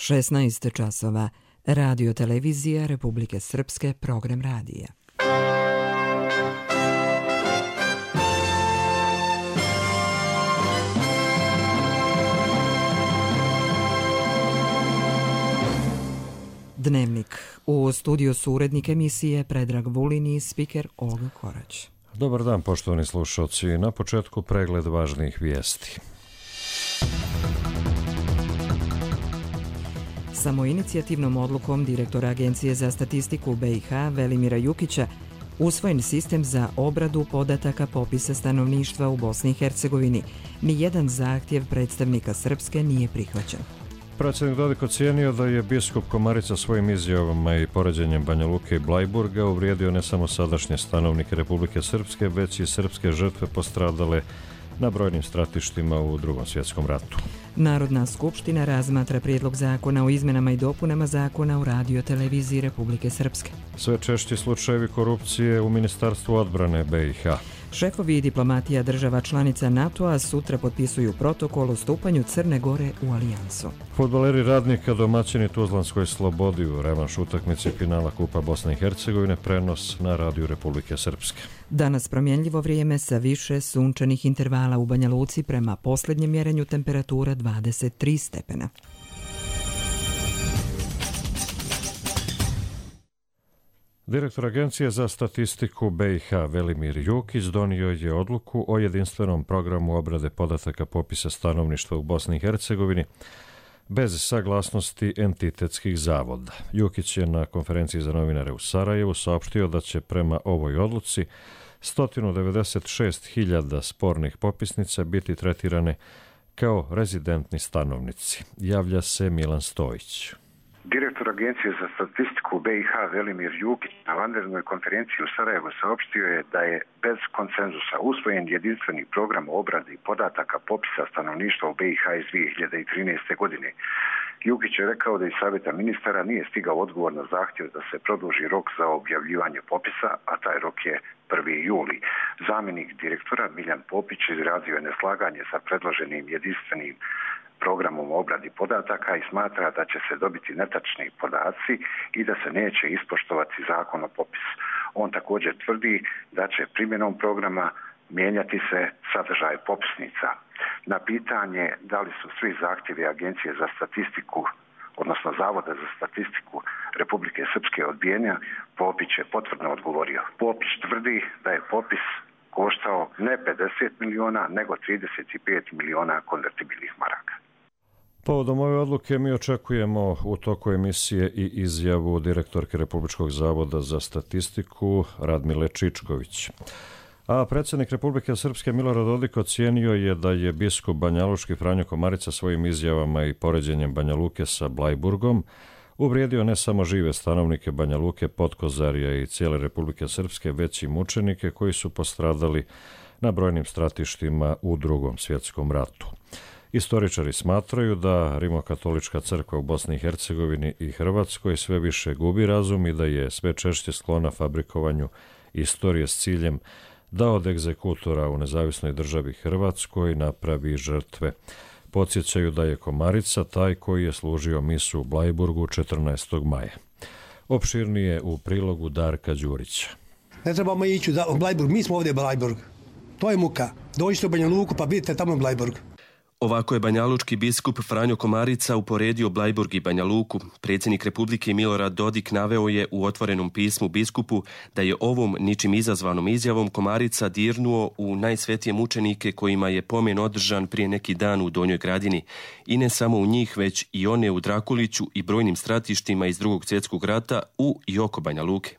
16 časova. Radio televizija Republike Srpske, program radija. Dnevnik. U studiju su urednik emisije Predrag Vulin i spiker Olga Korać. Dobar dan, poštovani slušalci. Na početku pregled važnih vijesti. Samoinicijativnom odlukom direktora Agencije za statistiku BiH Velimira Jukića usvojen sistem za obradu podataka popisa stanovništva u Bosni i Hercegovini. Nijedan zahtjev predstavnika Srpske nije prihvaćen. Predsjednik Dodik ocijenio da je biskup Komarica svojim izjavama i poređenjem Banja Luke i Blajburga uvrijedio ne samo sadašnje stanovnike Republike Srpske, već i srpske žrtve postradale na brojnim stratištima u Drugom svjetskom ratu. Narodna skupština razmatra prijedlog zakona o izmenama i dopunama zakona o radioteleviziji Republike Srpske. Sve češći slučajevi korupcije u Ministarstvu odbrane BiH. Šefovi diplomatija država članica NATO-a sutra potpisuju protokol o stupanju Crne Gore u alijansu. Fudbaleri Radnika domaćini Tuzlanskoj Slobodi u revanš utakmici finala Kupa Bosne i Hercegovine, prenos na radiju Republike Srpske. Danas promjenljivo vrijeme sa više sunčanih intervala u Banja Luci, prema posljednjem mjerenju temperatura 23 stepena. Direktor Agencije za statistiku BiH Velimir Jukić donio je odluku o jedinstvenom programu obrade podataka popisa stanovništva u Bosni i Hercegovini bez saglasnosti entitetskih zavoda. Jukić je na konferenciji za novinare u Sarajevu saopštio da će prema ovoj odluci 196.000 spornih popisnica biti tretirane kao rezidentni stanovnici. Javlja se Milan Stojić. Direktor Agencije za statistiku BiH Velimir Jukić na vanrednoj konferenciji u Sarajevu saopštio je da je bez konsenzusa usvojen jedinstveni program o obradi podataka popisa stanovništva u BiH iz 2013. godine. Jukić je rekao da iz Savjeta ministara nije stigao odgovor na zahtjev da se produži rok za objavljivanje popisa, a taj rok je 1. juli. Zamjenik direktora Miljan Popić izrazio je neslaganje sa predloženim jedinstvenim programom o obradi podataka i smatra da će se dobiti netačni podaci i da se neće ispoštovati zakon o popisu. On također tvrdi da će primjenom programa mijenjati se sadržaj popisnica. Na pitanje da li su svi zahtjevi Agencije za statistiku, odnosno Zavoda za statistiku Republike Srpske odbijeni, Popić je potvrdno odgovorio. Popić tvrdi da je popis koštao ne 50 miliona, nego 35 miliona konvertibilnih maraka. Povodom ove odluke mi očekujemo u toku emisije i izjavu direktorke Republičkog zavoda za statistiku Radmile Čičković. A predsjednik Republike Srpske Milorad Dodik ocijenio je da je biskup banjalučki Franjo Komarica svojim izjavama i poređenjem Banja Luke sa Blajburgom uvrijedio ne samo žive stanovnike Banja Luke, Podkozarja i cijele Republike Srpske, već i mučenike koji su postradali na brojnim stratištima u Drugom svjetskom ratu. Istoričari smatraju da Rimokatolička crkva u Bosni i Hercegovini i Hrvatskoj sve više gubi razum i da je sve češće sklona fabrikovanju istorije s ciljem da od egzekutora u nezavisnoj državi Hrvatskoj napravi žrtve. Podsjećaju da je Komarica taj koji je služio misu u Blajburgu 14. maja. Opširnije u prilogu Darka Đurića. Ne trebamo ići u Blajburg, mi smo ovdje Blajburg. To je muka. Dođite u Banja Luku pa vidite tamo Blajburg. Ovako je banjalučki biskup Franjo Komarica uporedio Blajburg i Banja Luku. Predsjednik Republike Milorad Dodik naveo je u otvorenom pismu biskupu da je ovom ničim izazvanom izjavom Komarica dirnuo u najsvetije mučenike kojima je pomen održan prije neki dan u Donjoj Gradini. I ne samo u njih, već i one u Drakuliću i brojnim stratištima iz Drugog svjetskog rata u i oko Banja Luke.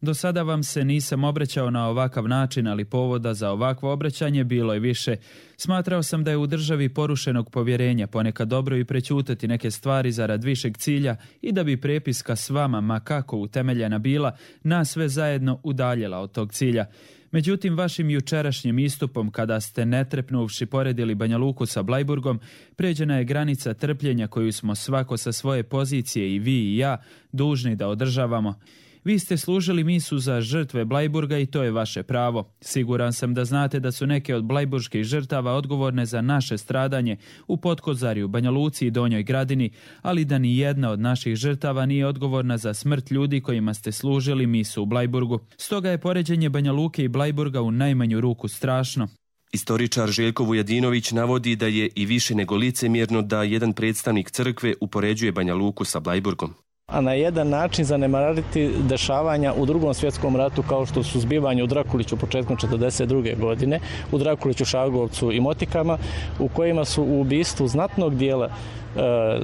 Do sada vam se nisam obraćao na ovakav način, ali povoda za ovakvo obraćanje bilo je više. Smatrao sam da je u državi porušenog povjerenja ponekad dobro i prećutati neke stvari zarad višeg cilja i da bi prepiska s vama, ma kako utemeljena bila, nas sve zajedno udaljila od tog cilja. Međutim, vašim jučerašnjim istupom, kada ste netrepnuvši poredili Banja Luku sa Blajburgom, pređena je granica trpljenja koju smo svako sa svoje pozicije, i vi i ja, dužni da održavamo. Vi ste služili misu za žrtve Blajburga i to je vaše pravo. Siguran sam da znate da su neke od blajburških žrtava odgovorne za naše stradanje u Potkozarju, Banja Luci i Donjoj Gradini, ali da ni jedna od naših žrtava nije odgovorna za smrt ljudi kojima ste služili misu u Blajburgu. Stoga je poređenje Banja Luke i Blajburga u najmanju ruku strašno. Istoričar Željko Vujadinović navodi da je i više nego licemjerno da jedan predstavnik crkve upoređuje Banja Luku sa Blajburgom. A na jedan način zanemariti dešavanja u Drugom svjetskom ratu kao što su zbivanje u Drakuliću početkom 1942. godine, u Drakuliću, Šagovcu i Motikama, u kojima su u ubistvu znatnog dijela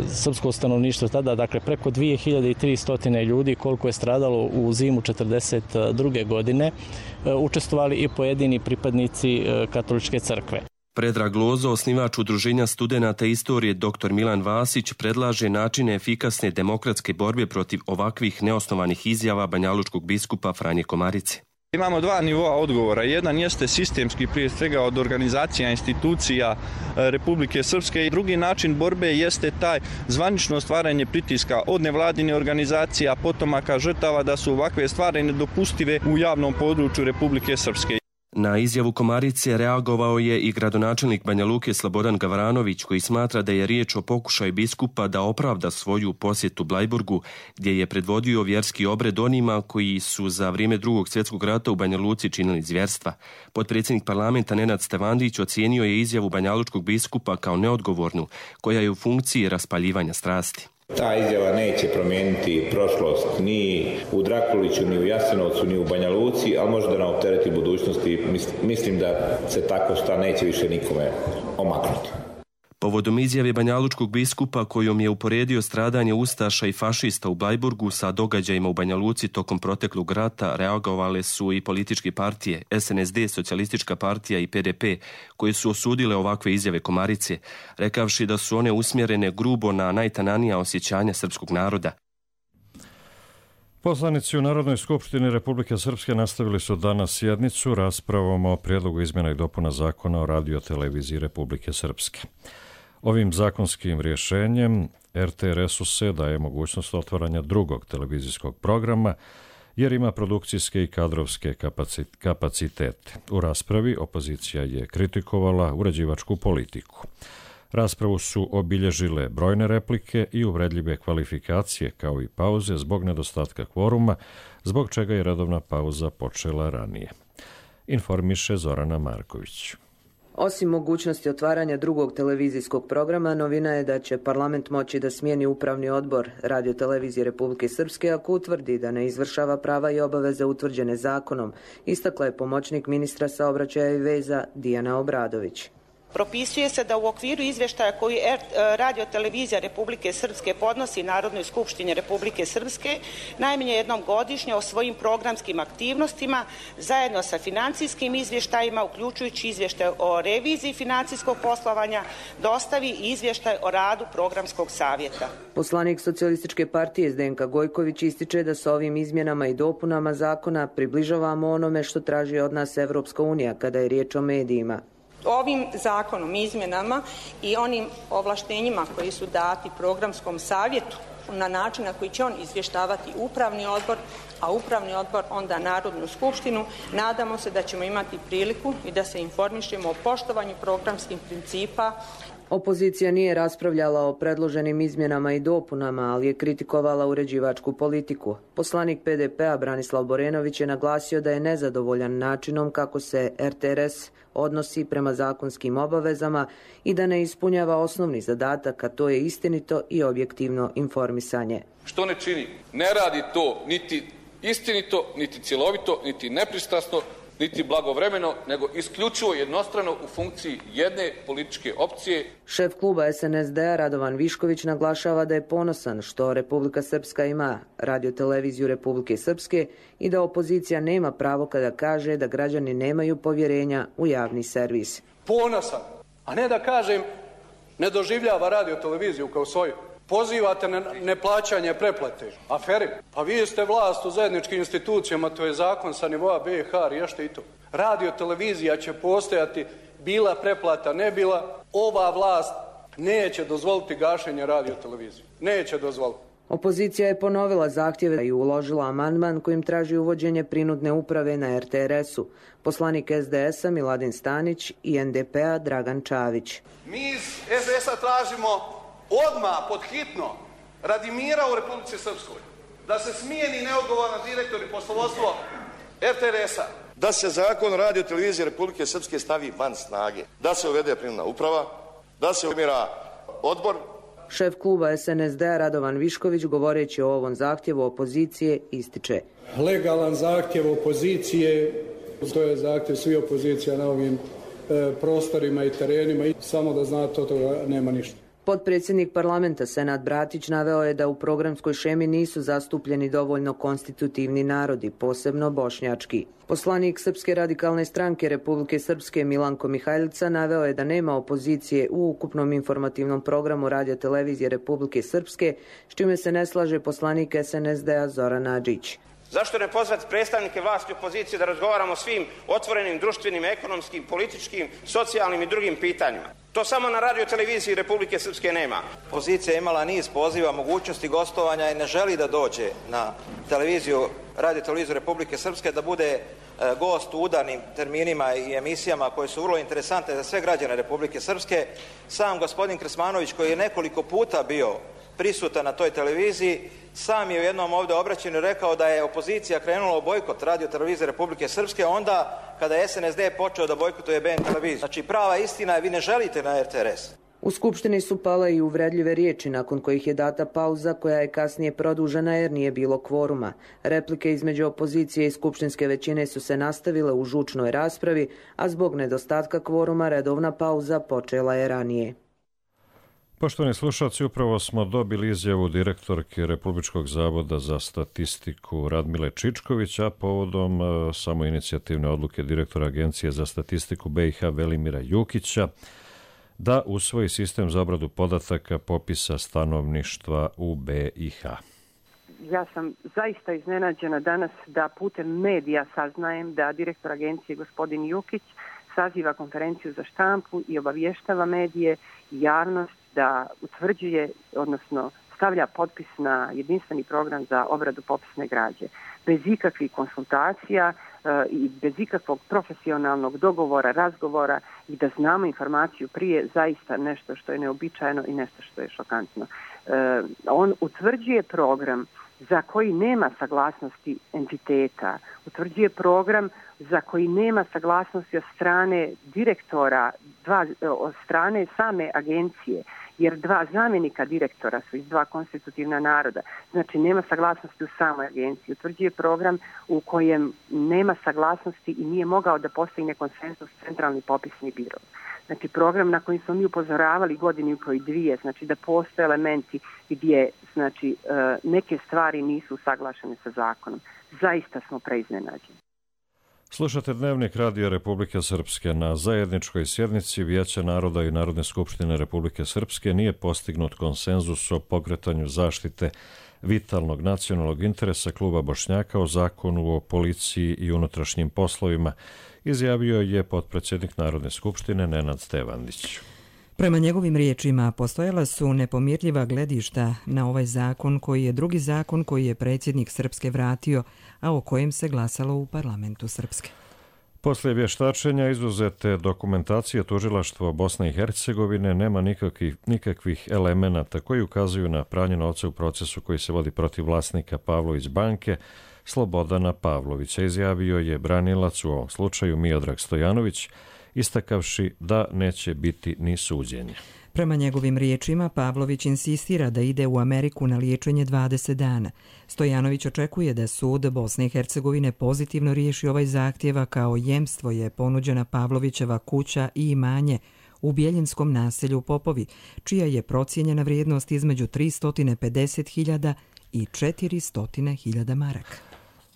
srpskog stanovništva tada, dakle preko 2300 ljudi koliko je stradalo u zimu 1942. godine, učestvovali i pojedini pripadnici katoličke crkve. Predrag Lozo, osnivač Udruženja studenata istorije dr. Milan Vasić, predlaže načine efikasne demokratske borbe protiv ovakvih neosnovanih izjava banjalučkog biskupa Franje Komarice. Imamo dva nivoa odgovora. Jedan jeste sistemski, prije svega od organizacija, institucija Republike Srpske, i drugi način borbe jeste taj zvanično stvaranje pritiska od nevladine organizacija, potomaka žrtava da su ovakve stvari nedopustive u javnom području Republike Srpske. Na izjavu Komarice reagovao je i gradonačelnik Banja Luke Slobodan Gavranović, koji smatra da je riječ o pokušaju biskupa da opravda svoju posjetu Blajburgu, gdje je predvodio vjerski obred onima koji su za vrijeme Drugog svjetskog rata u Banja Luci činili zvjerstva. Potpredsjednik parlamenta Nenad Stevandić ocijenio je izjavu banjalučkog biskupa kao neodgovornu, koja je u funkciji raspaljivanja strasti. Ta izjava neće promijeniti prošlost ni u Drakuliću, ni u Jasenovcu, ni u Banja Luci, ali može da nam optereti budućnosti. Mislim da se tako šta neće više nikome omaknuti. Povodom izjave banjalučkog biskupa kojom je uporedio stradanje ustaša i fašista u Blajburgu sa događajima u Banja Luci tokom proteklog rata, reagovale su i političke partije SNSD, Socijalistička partija i PDP, koje su osudile ovakve izjave Komarice, rekavši da su one usmjerene grubo na najtananija osjećanja srpskog naroda. Poslanici u Narodnoj skupštini Republike Srpske nastavili su danas sjednicu raspravom o prijedlogu izmjena i dopuna Zakona o radioteleviziji Republike Srpske. Ovim zakonskim rješenjem RTRS-u se daje mogućnost otvaranja drugog televizijskog programa jer ima produkcijske i kadrovske kapacitete. U raspravi opozicija je kritikovala uređivačku politiku. Raspravu su obilježile brojne replike i uvredljive kvalifikacije kao i pauze zbog nedostatka kvoruma, zbog čega je redovna pauza počela ranije. Informiše Zorana Marković. Osim mogućnosti otvaranja drugog televizijskog programa, novina je da će parlament moći da smijeni upravni odbor Radiotelevizije Republike Srpske ako utvrdi da ne izvršava prava i obaveze utvrđene zakonom, istakla je pomoćnik ministra saobraćaja i veza Dijana Obradović. Propisuje se da u okviru izvještaja koji Radiotelevizija Republike Srpske podnosi Narodnoj skupštini Republike Srpske najmanje jednom godišnje o svojim programskim aktivnostima zajedno sa financijskim izvještajima, uključujući izvještaj o reviziji financijskog poslovanja, dostavi i izvještaj o radu programskog savjeta. Poslanik Socijalističke partije Zdenka Gojković ističe da sa ovim izmjenama i dopunama zakona približavamo onome što traži od nas Evropska unija kada je riječ o medijima. Ovim zakonom, izmjenama i onim ovlaštenjima koji su dati programskom savjetu na način na koji će on izvještavati upravni odbor, a upravni odbor onda Narodnu skupštinu, nadamo se da ćemo imati priliku i da se informišemo o poštovanju programskih principa. Opozicija nije raspravljala o predloženim izmjenama i dopunama, ali je kritikovala uređivačku politiku. Poslanik PDP-a Branislav Borenović je naglasio da je nezadovoljan načinom kako se RTRS odnosi prema zakonskim obavezama i da ne ispunjava osnovni zadatak, a to je istinito i objektivno informisanje. Što ne čini? Ne radi to niti istinito, niti cjelovito, niti nepristrasno, niti blagovremeno, nego isključivo jednostrano u funkciji jedne političke opcije. Šef kluba SNSD-a Radovan Višković naglašava da je ponosan što Republika Srpska ima Radioteleviziju Republike Srpske i da opozicija nema pravo kada kaže da građani nemaju povjerenja u javni servis. Ponosan, a ne da kažem ne doživljava Radioteleviziju kao svoju. Pozivate na neplaćanje pretplate. Aferi, pa vi ste vlast u zajedničkim institucijama, to je zakon sa nivoa BiH, riješite i to. Radiotelevizija će postojati, bila pretplata, ne bila. Ova vlast neće dozvoliti gašenje radiotelevizije. Neće dozvoliti. Opozicija je ponovila zahtjeve i uložila amandman kojim traži uvođenje prinudne uprave na RTRS-u. Poslanik SDS-a Miladin Stanić i NDP-a Dragan Čavić. Mi iz SDS-a tražimo odmah, podhitno, radi mira u Republici Srpskoj, da se smijeni neodgovoran direktor i poslovodstvo RTRS-a, da se zakon o radio televiziji Republike Srpske stavi van snage, da se uvede prinudna uprava, da se umira odbor. Šef kluba SNSD-a Radovan Višković, govoreći o ovom zahtjevu opozicije, ističe: legalan zahtjev opozicije, to je zahtjev svi opozicija na ovim prostorima i terenima i samo da znate, od toga nema ništa. Potpredsjednik parlamenta Senad Bratić naveo je da u programskoj šemi nisu zastupljeni dovoljno konstitutivni narodi, posebno bošnjački. Poslanik Srpske radikalne stranke Republike Srpske Milanko Mihajlica naveo je da nema opozicije u ukupnom informativnom programu radiotelevizije Republike Srpske, s čime se ne slaže poslanik SNSD-a Zoran Adžić. Zašto ne pozvati predstavnike vlasti i opozicije da razgovaramo o svim otvorenim društvenim, ekonomskim, političkim, socijalnim i drugim pitanjima? To samo na radio televiziji Republike Srpske nema. Opozicija je imala niz poziva, mogućnosti gostovanja i ne želi da dođe na radio televiziju Republike Srpske da bude gost u udarnim terminima i emisijama koje su vrlo interesantne za sve građane Republike Srpske. Sam gospodin Krsmanović, koji je nekoliko puta bio prisutan na toj televiziji, sam je u jednom ovdje obraćanju rekao da je opozicija krenula u bojkot radio televizije Republike Srpske onda kada je SNSD počeo da bojkotuje BN televiziju. Znači prava istina je, vi ne želite na RTRS. U Skupštini su pale i uvredljive riječi nakon kojih je data pauza koja je kasnije produžena jer nije bilo kvoruma. Replike između opozicije i skupštinske većine su se nastavile u žučnoj raspravi, a zbog nedostatka kvoruma redovna pauza počela je ranije. Poštovani slušalci, upravo smo dobili izjavu direktorke Republičkog zavoda za statistiku Radmile Čičković, a povodom samoinicijativne odluke direktora Agencije za statistiku BiH Velimira Jukića da usvoji sistem za obradu podataka popisa stanovništva u BiH. Ja sam zaista iznenađena danas da putem medija saznajem da direktor agencije gospodin Jukić saziva konferenciju za štampu i obavještava medije i javnost da utvrđuje, odnosno stavlja potpis na jedinstveni program za obradu popisne građe. Bez ikakvih konsultacija i bez ikakvog profesionalnog dogovora, razgovora i da znamo informaciju prije, zaista nešto što je neobičajeno i nešto što je šokantno. On utvrđuje program za koji nema saglasnosti entiteta, utvrđuje program za koji nema saglasnosti od strane direktora, od strane same agencije, jer dva zamjenika direktora su iz dva konstitutivna naroda. Znači nema saglasnosti u samoj agenciji. Utvrđuje program u kojem nema saglasnosti i nije mogao da postigne konsenzus centralni popisni biro. Znači program na koji smo mi upozoravali godinu i koji dvije, znači da postoje elementi gdje neke stvari nisu usaglašene sa zakonom. Zaista smo preiznenađeni. Slušate Dnevnik Radija Republike Srpske. Na zajedničkoj sjednici Vijeća naroda i Narodne skupštine Republike Srpske nije postignut konsenzus o pokretanju zaštite vitalnog nacionalnog interesa kluba Bošnjaka o zakonu o policiji i unutrašnjim poslovima, izjavio je potpredsjednik Narodne skupštine Nenad Stevandić. Prema njegovim riječima, postojala su nepomirljiva gledišta na ovaj zakon koji je drugi zakon koji je predsjednik Srpske vratio, a o kojem se glasalo u parlamentu Srpske. Poslije vještačenja izuzete dokumentacije tužilaštva Bosne i Hercegovine nema nikakvih elemenata koji ukazuju na pranje novca u procesu koji se vodi protiv vlasnika Pavlović banke Slobodana Pavlovića, izjavio je branilac u ovom slučaju Miodrag Stojanović, istakavši da neće biti ni suđenja. Prema njegovim riječima, Pavlović insistira da ide u Ameriku na liječenje 20 dana. Stojanović očekuje da sud Bosne i Hercegovine pozitivno riješi ovaj zahtjev, a kao jemstvo je ponuđena Pavlovićeva kuća i imanje u Bjeljinskom naselju Popovi, čija je procijenjena vrijednost između 350.000 i 400.000 maraka.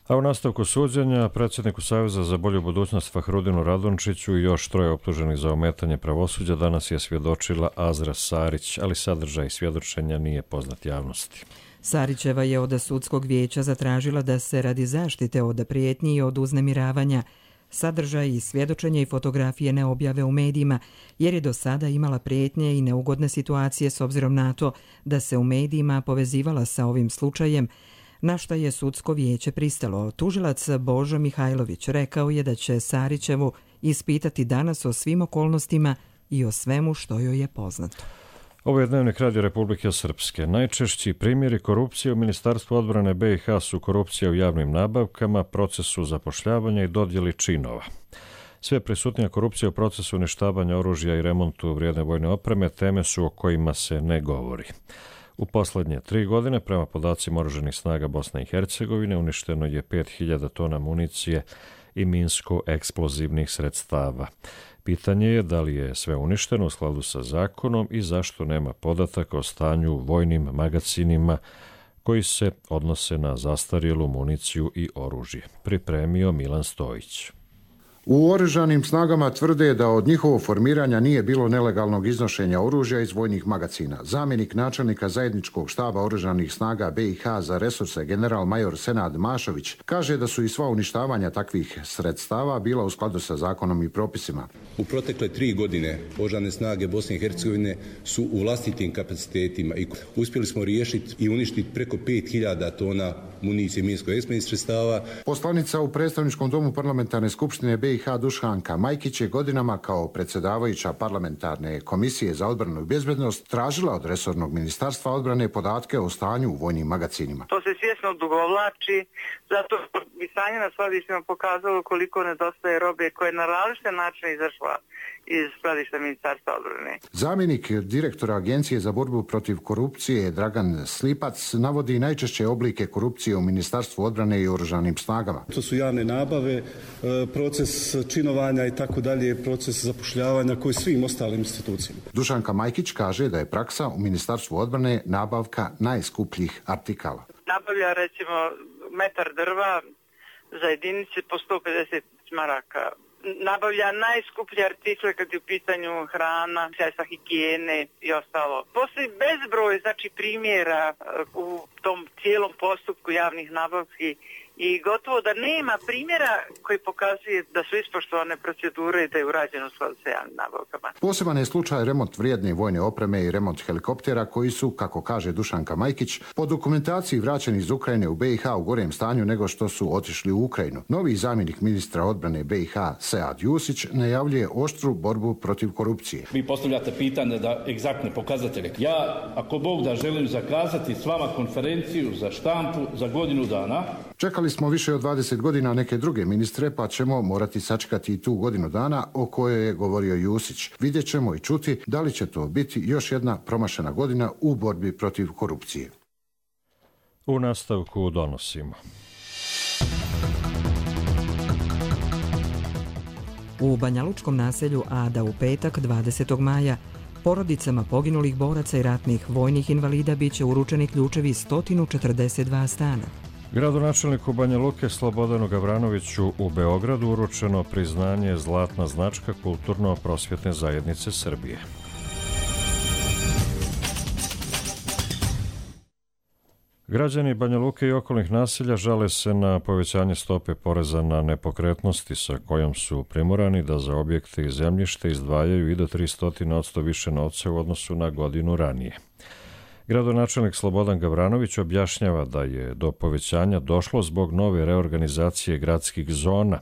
A u nastavku suđenja predsjedniku Saveza za bolju budućnost Fahrudinu Radončiću i još troje optuženih za ometanje pravosuđa danas je svjedočila Azra Sarić, ali sadržaj svjedočenja nije poznat javnosti. Sarićeva je od sudskog vijeća zatražila da se radi zaštite od prijetnji i od uznemiravanja sadržaj i svjedočenje i fotografije ne objave u medijima, jer je do sada imala prijetnje i neugodne situacije s obzirom na to da se u medijima povezivala sa ovim slučajem, na što je sudsko vijeće pristalo. Tužilac Božo Mihajlović rekao je da će Sarićevu ispitati danas o svim okolnostima i o svemu što joj je poznato. Ovo je Dnevnik Radio Republike Srpske. Najčešći primjeri korupcije u Ministarstvu odbrane BiH su korupcija u javnim nabavkama, procesu zapošljavanja i dodjeli činova. Sve prisutnija korupcija u procesu uništavanja oružja i remontu vrijedne vojne opreme teme su o kojima se ne govori. U posljednje 3 godine, prema podacima Oružanih snaga Bosne i Hercegovine, uništeno je 5000 tona municije i minsko-eksplozivnih sredstava. Pitanje je da li je sve uništeno u skladu sa zakonom i zašto nema podataka o stanju u vojnim magacinima koji se odnose na zastarjelu municiju i oružje. Pripremio Milan Stojić. U Oružanim snagama tvrde da od njihovog formiranja nije bilo nelegalnog iznošenja oružja iz vojnih magacina. Zamjenik načelnika zajedničkog štaba Oružanih snaga BiH za resurse general major Senad Mašović kaže da su i sva uništavanja takvih sredstava bila u skladu sa zakonom i propisima. U protekle 3 godine Oružane snage Bosne i Hercegovine su u vlastitim kapacitetima i uspjeli smo riješiti i uništiti preko 5000 tona municije minsko-eksplozivnih sredstava. Poslanica u predstavničkom domu parlamentarne skupštine BiH Dušanka Majkić je godinama kao predsjedavajuća parlamentarne komisije za odbranu i bezbednost tražila od resornog ministarstva odbrane podatke o stanju u vojnim magacinima. To se svjesno odugovlači, zato bi stanje na skladištima pokazalo koliko nedostaje robe koje na različite načine izašla iz skladišta Ministarstva odbrane. Zamjenik direktora Agencije za borbu protiv korupcije Dragan Slipac navodi najčešće oblike korupcije u Ministarstvu odbrane i Oružanim snagama. To su javne nabave, proces činovanja i tako dalje, proces zapošljavanja koji svim ostalim institucijama. Dušanka Majkić kaže da je praksa u Ministarstvu odbrane nabavka najskupljih artikala. Nabavlja recimo metar drva za jedinice po 150 maraka. Nabavlja najskuplje artikle kad je u pitanju hrana, sredstva higijene i ostalo. Postoji bezbroj primjera u tom cijelom postupku javnih nabavki i gotovo da nema primjera koji pokazuje da su ispoštovane procedure i da je urađeno u skladu sa javnim nabavkama. Poseban je slučaj remont vrijedne vojne opreme i remont helikoptera koji su, kako kaže Dušanka Majkić, po dokumentaciji vraćeni iz Ukrajine u BiH u gorem stanju nego što su otišli u Ukrajinu. Novi zamjenik ministra odbrane BiH Sead Jusić najavljuje oštru borbu protiv korupcije. Vi postavljate pitanje da egzaktne pokazatelje. Ja, ako Bog da, želim zakazati s vama konferenciju za štampu za godinu dana. Čekali smo više od 20 godina neke druge ministre, pa ćemo morati sačekati i tu godinu dana o kojoj je govorio Jusić. Vidjet ćemo i čuti da li će to biti još jedna promašena godina u borbi protiv korupcije. U nastavku donosimo. U banjalučkom naselju Ada u petak 20. maja porodicama poginulih boraca i ratnih vojnih invalida bit će uručeni ključevi 142 stana. Gradonačelniku Banja Luke Slobodanu Gavranoviću u Beogradu uručeno priznanje Zlatna značka Kulturno-prosvjetne zajednice Srbije. Građani Banja Luke i okolnih naselja žale se na povećanje stope poreza na nepokretnosti sa kojom su primorani da za objekte i zemljište izdvajaju i do 300% više novca u odnosu na godinu ranije. Gradonačelnik Slobodan Gavranović objašnjava da je do povećanja došlo zbog nove reorganizacije gradskih zona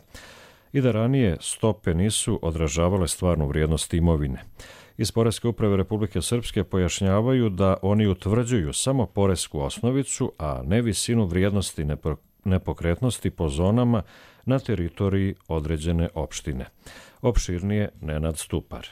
i da ranije stope nisu odražavale stvarnu vrijednost imovine. Iz Poreske uprave Republike Srpske pojašnjavaju da oni utvrđuju samo poresku osnovicu, a ne visinu vrijednosti nepokretnosti po zonama na teritoriji određene opštine. Opširnije Nenad Stupar.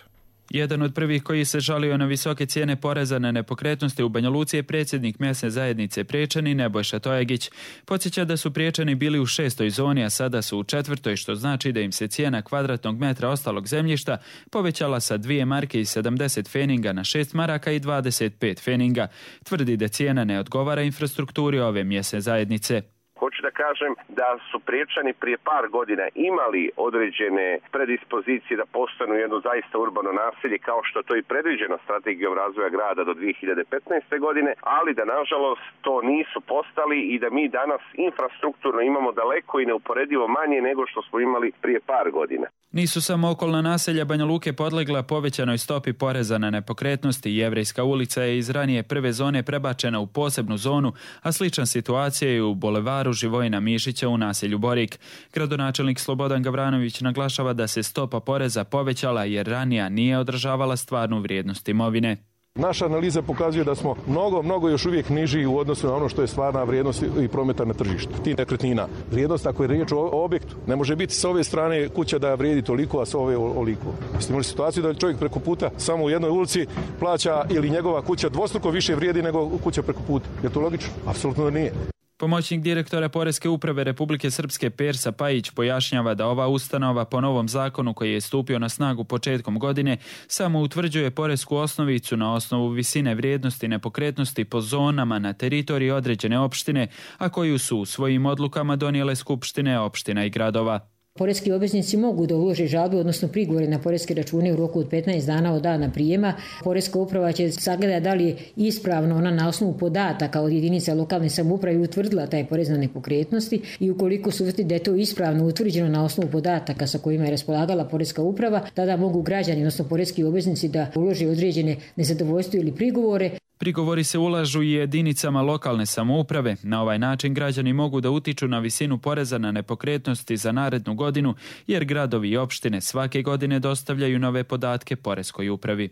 Jedan od prvih koji se žalio na visoke cijene poreza na nepokretnosti u Banja Luci je predsjednik mjesne zajednice Priječani Nebojša Tojagić. Podsjeća da su Priječani bili u 6. zoni, a sada su u 4., što znači da im se cijena kvadratnog metra ostalog zemljišta povećala sa 2 marke i 70 feninga na 6 maraka i 25 feninga. Tvrdi da cijena ne odgovara infrastrukturi ove mjesne zajednice. Hoću da kažem da su Priječani prije par godina imali određene predispozicije da postanu jedno zaista urbano naselje, kao što to i predviđeno strategijom razvoja grada do 2015. godine, ali da nažalost to nisu postali i da mi danas infrastrukturno imamo daleko i neuporedivo manje nego što smo imali prije par godina. Nisu samo okolna naselja Banja Luke podlegla povećanoj stopi poreza na nepokretnosti. Jevrejska ulica je iz ranije prve zone prebačena u posebnu zonu, a slična situacija je u bulevaru Živojina Mišića u naselju Borik. Gradonačelnik Slobodan Gavranović naglašava da se stopa poreza povećala jer ranija nije održavala stvarnu vrijednost imovine. Naša analiza pokazuje da smo mnogo još uvijek niži u odnosu na ono što je stvarna vrijednost i prometa na tržištu. Ti nekretnina. Vrijednost, ako je riječ o objektu, ne može biti s ove strane kuća da vrijedi toliko, a s ove oliko. Ste imali situaciju da čovjek preko puta samo u jednoj ulici plaća ili njegova kuća dvostruko više vrijedi nego kuća preko puta. Je to logično? Apsolutno nije. Pomoćnik direktora Poreske uprave Republike Srpske Persa Pajić pojašnjava da ova ustanova po novom zakonu koji je stupio na snagu početkom godine samo utvrđuje poresku osnovicu na osnovu visine vrijednosti nepokretnosti po zonama na teritoriji određene opštine, a koju su u svojim odlukama donijele skupštine opština i gradova. Poreski obveznici mogu da ulože žalbe, odnosno prigovore na poreske račune u roku od 15 dana od dana prijema. Poreska uprava će sagledati da li je ispravno ona na osnovu podataka od jedinica lokalne samouprave utvrdila taj porez na nepokretnosti i ukoliko su utvrdili da je to ispravno utvrđeno na osnovu podataka sa kojima je raspolagala poreska uprava, tada mogu građani, odnosno poreski obveznici da ulože određene nezadovoljstvo ili prigovore. Prigovori se ulažu i jedinicama lokalne samouprave. Na ovaj način građani mogu da utiču na visinu poreza na nepokretnosti za narednu godinu, jer gradovi i opštine svake godine dostavljaju nove podatke poreskoj upravi.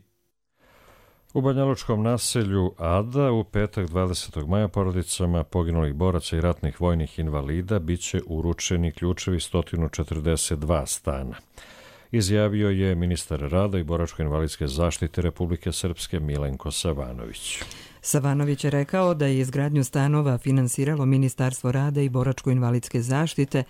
U banjalučkom naselju Ada u petak 20. maja porodicama poginulih boraca i ratnih vojnih invalida biće uručeni ključevi 142 stana. Izjavio je ministar rada i boračko-invalidske zaštite Republike Srpske Milenko Savanović. Savanović je rekao da je izgradnju stanova finansiralo Ministarstvo rada i boračko-invalidske zaštite,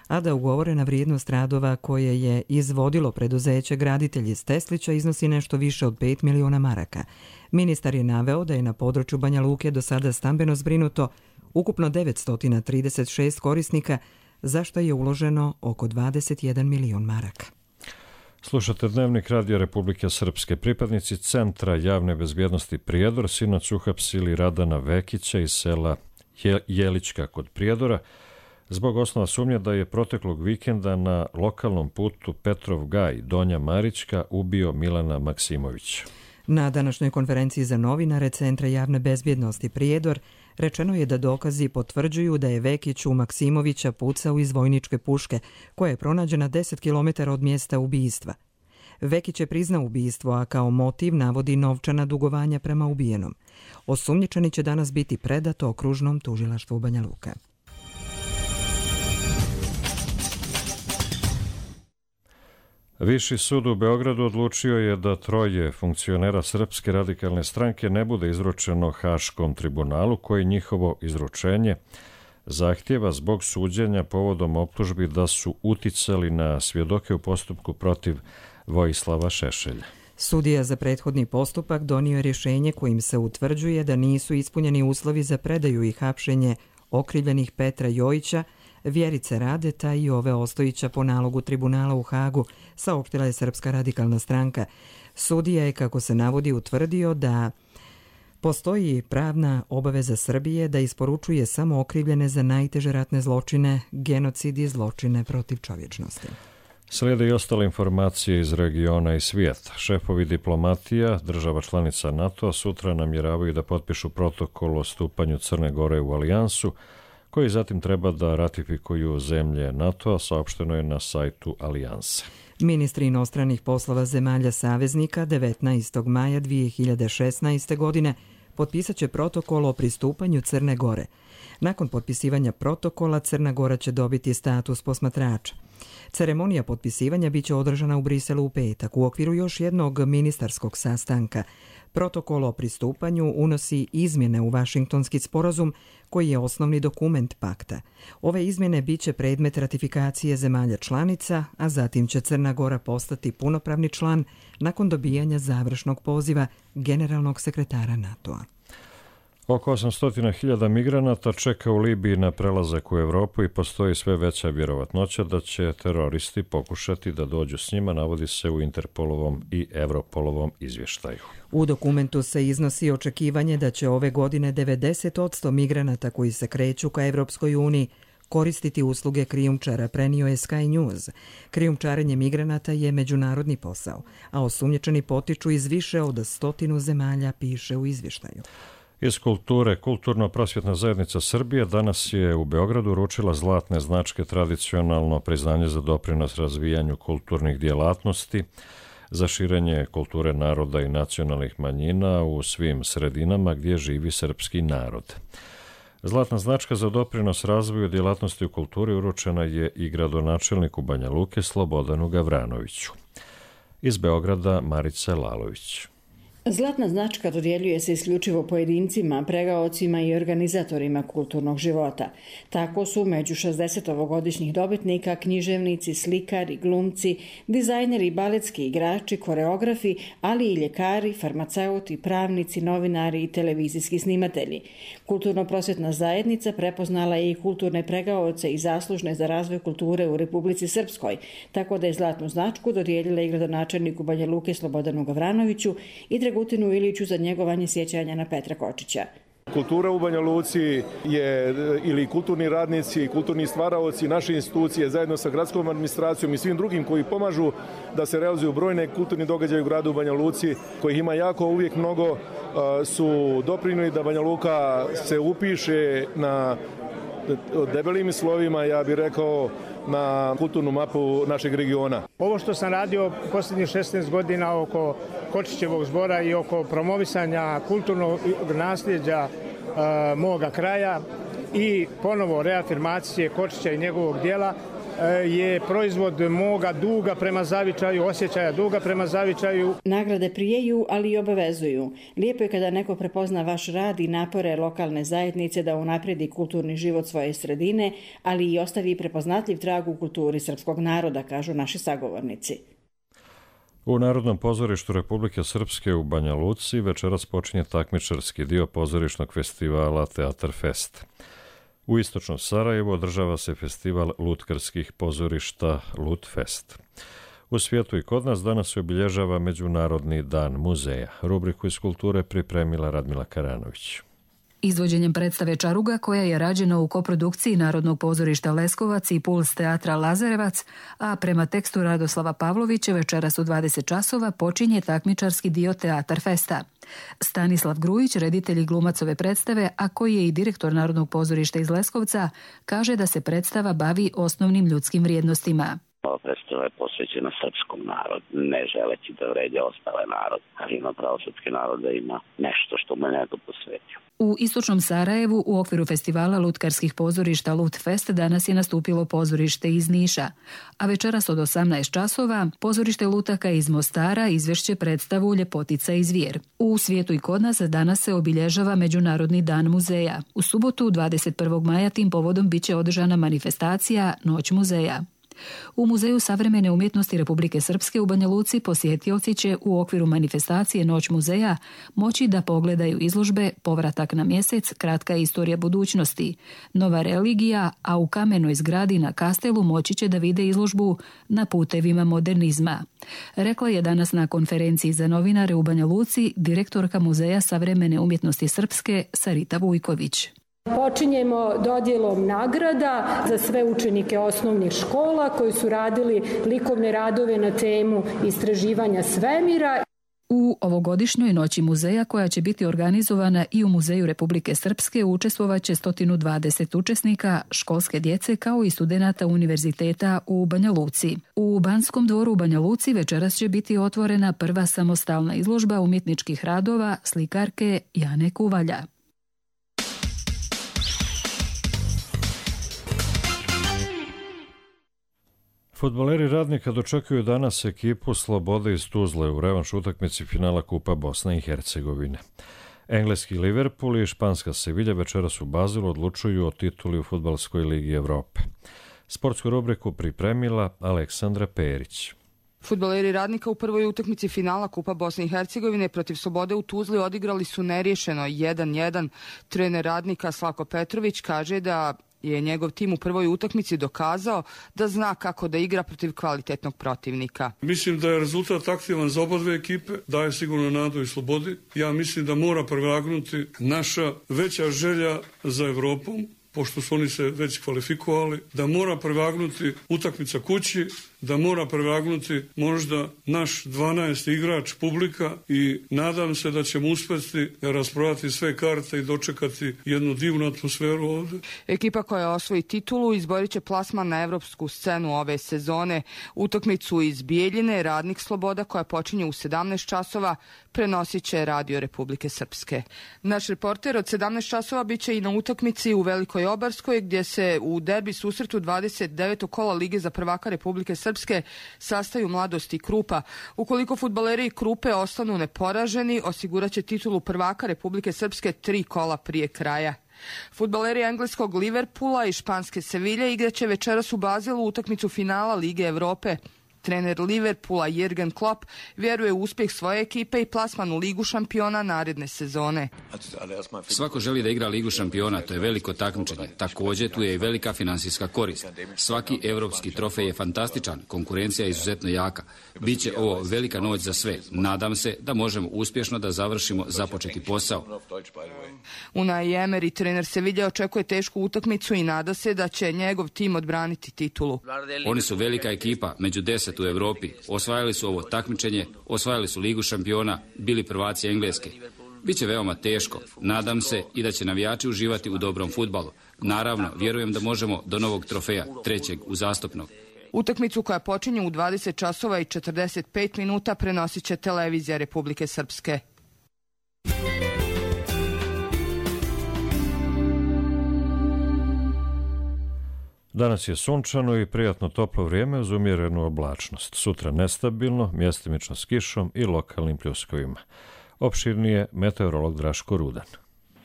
a da ugovorena vrijednost radova koje je izvodilo preduzeće Graditelj iz Teslića iznosi nešto više od 5 miliona maraka. Ministar je naveo da je na području Banja Luke do sada stambeno zbrinuto ukupno 936 korisnika, za što je uloženo oko 21 milion maraka. Slušate Dnevnik Radio Republike Srpske. Pripadnici Centra javne bezbjednosti Prijedor sinoć uhapsili Radana Vekića iz sela Jelićka kod Prijedora zbog osnova sumnje da je proteklog vikenda na lokalnom putu Petrov Gaj Donja Marićka ubio Milana Maksimovića. Na današnjoj konferenciji za novinare Centra javne bezbjednosti Prijedor rečeno je da dokazi potvrđuju da je Vekić u Maksimovića pucao iz vojničke puške, koja je pronađena 10 km od mjesta ubistva. Vekić je priznao ubistvo, a kao motiv navodi novčana dugovanja prema ubijenom. Osumnjičeni će danas biti predat okružnom tužilaštvu Banja Luka. Viši sud u Beogradu odlučio je da 3 funkcionera Srpske radikalne stranke ne bude izručeno Haškom tribunalu, koji njihovo izručenje zahtjeva zbog suđenja povodom optužbi da su uticali na svjedoke u postupku protiv Vojislava Šešelja. Sudija za prethodni postupak donio je rješenje kojim se utvrđuje da nisu ispunjeni uslovi za predaju i hapšenje okrivljenih Petra Jojića, Vjerice Radeta i Ove Ostojića po nalogu tribunala u Hagu, saopštila je Srpska radikalna stranka. Sudija je, kako se navodi, utvrdio da postoji pravna obaveza Srbije da isporučuje samo okrivljene za najteže ratne zločine, genocid i zločine protiv čovječnosti. Slijede i ostale informacije iz regiona i svijeta. Šefovi diplomatija država članica NATO sutra namjeravaju da potpišu protokol o stupanju Crne Gore u alijansu, koji zatim treba da ratifikuju zemlje NATO-a, saopšteno je na sajtu alijanse. Ministri inostranih poslova zemalja saveznika 19. maja 2016. godine potpisat će protokol o pristupanju Crne Gore. Nakon potpisivanja protokola Crna Gora će dobiti status posmatrača. Ceremonija potpisivanja biće održana u Briselu u petak u okviru još jednog ministarskog sastanka. Protokol o pristupanju unosi izmjene u Vašingtonski sporazum, koji je osnovni dokument pakta. Ove izmjene biće predmet ratifikacije zemalja članica, a zatim će Crna Gora postati punopravni član nakon dobijanja završnog poziva generalnog sekretara NATO-a. Oko 800.000 migranata čeka u Libiji na prelazak u Evropu i postoji sve veća vjerovatnoća da će teroristi pokušati da dođu s njima, navodi se u Interpolovom i Europolovom izvještaju. U dokumentu se iznosi očekivanje da će ove godine 90% migranata koji se kreću ka Evropskoj uniji koristiti usluge krijumčara, prenio je Sky News. Krijumčarenje migranata je međunarodni posao, a osumnjičeni potiču iz više od 100 zemalja, piše u izvještaju. Iz kulture, Kulturno-prosvjetna zajednica Srbije danas je u Beogradu uručila zlatne značke tradicionalno priznanje za doprinos razvijanju kulturnih djelatnosti, za širenje kulture naroda i nacionalnih manjina u svim sredinama gdje živi srpski narod. Zlatna značka za doprinos razvoju djelatnosti u kulturi uručena je i gradonačelniku Banja Luke Slobodanu Gavranoviću. Iz Beograda Marica Lalović. Zlatna značka dodjeljuje se isključivo pojedincima, pregaocima i organizatorima kulturnog života. Tako su među 60-ovogodišnjih dobitnika književnici, slikari, glumci, dizajneri, baletski igrači, koreografi, ali i ljekari, farmaceuti, pravnici, novinari i televizijski snimatelji. Kulturno-prosvjetna zajednica prepoznala je i kulturne pregaoce i zaslužne za razvoj kulture u Republici Srpskoj, tako da je zlatnu značku dodijelila i gradonačelniku Banja Luke Slobodanu Gavranoviću i Dragutinu Iliću za njegovanje sjećanja na Petra Kočića. Kultura u Banja Luci je, ili kulturni radnici, kulturni stvaraoci, naše institucije zajedno sa gradskom administracijom i svim drugim koji pomažu da se realizuju brojne kulturni događaje u gradu Banja Luci, kojih ima jako uvijek mnogo, su doprinijeli da Banja Luka se upiše na debelim slovima, ja bih rekao, na kulturnu mapu našeg regiona. Ovo što sam radio posljednjih 16 godina oko Kočićevog zbora i oko promovisanja kulturnog nasljeđa moga kraja i ponovo reafirmacije Kočića i njegovog dijela je proizvod moga duga prema zavičaju, osjećaja duga prema zavičaju. Nagrade prijeju, ali i obavezuju. Lijepo je kada neko prepozna vaš rad i napore lokalne zajednice da unaprijedi kulturni život svoje sredine, ali i ostavi prepoznatljiv trag u kulturi srpskog naroda, kažu naši sagovornici. U Narodnom pozorištu Republike Srpske u Banja Luci večeras počinje takmičarski dio pozorišnog festivala Teatar Fest. U istočnom Sarajevu održava se festival lutkarskih pozorišta Lutfest. U svijetu i kod nas danas se obilježava Međunarodni dan muzeja. Rubriku iz kulture pripremila Radmila Karanović. Izvođenjem predstave Čaruga, koja je rađena u koprodukciji Narodnog pozorišta Leskovac i Puls teatra Lazarevac, a prema tekstu Radoslava Pavlovića večeras u 20 časova počinje takmičarski dio Teatar Festa. Stanislav Grujić, reditelj i glumac ove predstave, a koji je i direktor Narodnog pozorišta iz Leskovca, kaže da se predstava bavi osnovnim ljudskim vrijednostima. Ova predstava je posvećena srpskom narodu, ne želeći da vređa ostale narode, ali ima pravo srpski narod da ima nešto što mu je neko posvetio. U istočnom Sarajevu u okviru festivala lutkarskih pozorišta Lutfest danas je nastupilo pozorište iz Niša, a večeras od 18 časova pozorište lutaka iz Mostara izvešće predstavu Ljepotica i zvijer. U svijetu i kod nas danas se obilježava Međunarodni dan muzeja. U subotu 21. maja tim povodom biće održana manifestacija Noć muzeja. U Muzeju savremene umjetnosti Republike Srpske u Banja Luci posjetioci će u okviru manifestacije Noć muzeja moći da pogledaju izložbe Povratak na mjesec, kratka istorija budućnosti, Nova religija, a u kamenoj zgradi na Kastelu moći će da vide izložbu Na putevima modernizma. Rekla je danas na konferenciji za novinare u Banja Luci direktorka Muzeja savremene umjetnosti Srpske Sarita Vujković. Počinjemo dodjelom nagrada za sve učenike osnovnih škola koji su radili likovne radove na temu istraživanja svemira. U ovogodišnjoj Noći muzeja, koja će biti organizovana i u Muzeju Republike Srpske, učestvovaće 120 učesnika, školske djece kao i studenata univerziteta u Banja Luci. U Banskom dvoru u Banja Luci večeras će biti otvorena prva samostalna izložba umjetničkih radova slikarke Jane Kuvalja. Fudbaleri Radnika dočekuju danas ekipu Slobode iz Tuzle u revanš utakmici finala Kupa Bosne i Hercegovine. Engleski Liverpool i španska Sevilja večeras u Bazilu odlučuju o tituli u Fudbalskoj ligi Evrope. Sportsku rubriku pripremila Aleksandra Perić. Fudbaleri Radnika u prvoj utakmici finala Kupa Bosne i Hercegovine protiv Slobode u Tuzli odigrali su neriješeno 1-1. Trener Radnika Slavko Petrović kaže da je njegov tim u prvoj utakmici dokazao da zna kako da igra protiv kvalitetnog protivnika. Mislim da je rezultat aktivan za oba dve ekipe, daje sigurno nadu i Slobodi. Ja mislim da mora prevagnuti naša veća želja za Evropom, pošto su oni se već kvalifikovali, da mora prevagnuti utakmica kući, da mora prevagnuti možda naš 12. igrač publika i nadam se da ćemo uspjeti rasprodati sve karte i dočekati jednu divnu atmosferu ovdje. Ekipa koja osvoji titulu izborit će plasman na evropsku scenu ove sezone. Utakmicu iz Bijeljine Radnik Sloboda koja počinje u 17 časova prenosit će Radio Republike Srpske. Naš reporter od 17 časova bit će i na utakmici u Velikoj Obarskoj gdje se u derbi susretu 29. kola Lige za prvaka Republike Srpske sastaju Mladost i Krupa. Ukoliko fudbaleri Krupe ostanu neporaženi, osigurat će titulu prvaka Republike Srpske 3 kola prije kraja. Fudbaleri engleskog Liverpoola i španske Sevilje igraće večeras u Bazilu utakmicu finala Lige Evrope. Trener Liverpoola Jürgen Klopp vjeruje u uspjeh svoje ekipe i plasman u Ligu šampiona naredne sezone. Svako želi da igra Ligu šampiona, to je veliko takmičenje. Također tu je i velika finansijska korist. Svaki evropski trofej je fantastičan, konkurencija je izuzetno jaka. Biće ovo velika noć za sve. Nadam se da možemo uspješno da završimo započeti posao. Unai Emery, trener Sevilje, očekuje tešku utakmicu i nada se da će njegov tim odbraniti titulu. Oni su velika ekipa, među 10 u Europi. Osvajali su ovo takmičenje, osvajali su Ligu šampiona, bili prvaci Engleske. Biće veoma teško. Nadam se i da će navijači uživati u dobrom fudbalu. Naravno, vjerujem da možemo do novog trofeja, 3. uzastopnog. Utakmicu koja počinje u 20 časova i 45 minuta prenosit će Televizija Republike Srpske. Danas je sunčano i prijatno toplo vrijeme uz umjerenu oblačnost. Sutra nestabilno, mjestimično s kišom i lokalnim pljuskovima. Opširnije meteorolog Draško Rudan.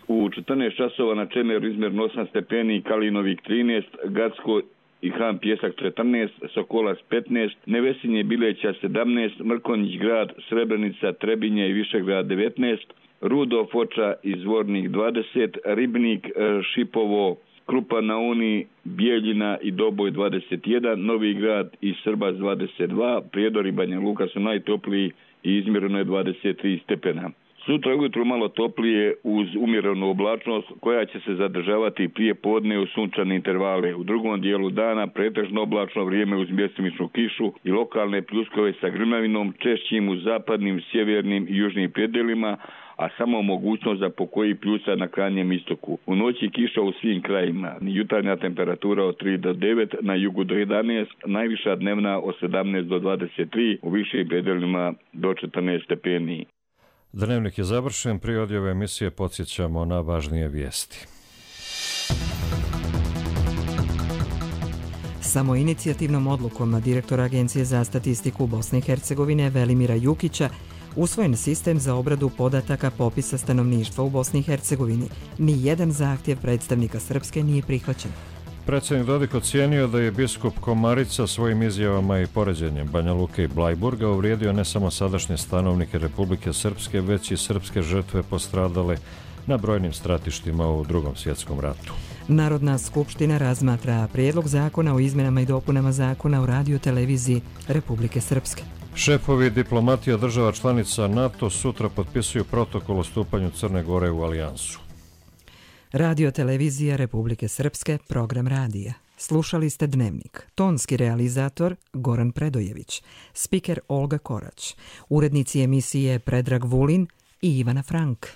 U 14 časova na Čemeru izmjerno 8 stepeni, Kalinovik 13, Gacko i Han Pjesak 14, Sokolac 15, Nevesinje Bileća 17, Mrkonjić grad, Srebrenica, Trebinje i Višegrad 19, Rudo, Foča i Zvornik 20, Ribnik, Šipovo, Krupa na Uni, Bijeljina i Doboj 21, Novi grad i Srbac 22, Prijedor i Banja Luka su najtopliji i izmjereno je 23 stepena. Sutra ujutro malo toplije uz umjerenu oblačnost koja će se zadržavati prije podne u sunčane intervale. U drugom dijelu dana pretežno oblačno vrijeme uz mjestimičnu kišu i lokalne pljuskove sa grmljavinom, češćim u zapadnim, sjevernim i južnim predjelima, a samo mogućnost za pokoji pljusa na krajnjem istoku. U noći kiša u svim krajima. Jutarnja temperatura od 3 do 9, na jugu do 11, najviša dnevna od 17 do 23, u višim predjelima do 14 stepeni. Dnevnik je završen, prije odjave emisije podsjećamo na važnije vijesti. Samoinicijativnom odlukom direktora Agencije za statistiku Bosne i Hercegovine Velimira Jukića usvojen sistem za obradu podataka popisa stanovništva u Bosni i Hercegovini. Nijedan zahtjev predstavnika Srpske nije prihvaćen. Predsjednik Dodik ocijenio da je biskup Komarica svojim izjavama i poređenjem Banja Luke i Blajburga uvrijedio ne samo sadašnje stanovnike Republike Srpske, već i srpske žrtve postradale na brojnim stratištima u Drugom svjetskom ratu. Narodna skupština razmatra prijedlog zakona o izmjenama i dopunama zakona o radioteleviziji Republike Srpske. Šefovi diplomatija država članica NATO sutra potpisuju protokol o stupanju Crne Gore u alijansu. Radiotelevizija Republike Srpske, program radija. Slušali ste Dnevnik. Tonski realizator Goran Predojević, spiker Olga Korać, urednici emisije Predrag Vulin i Ivana Frank.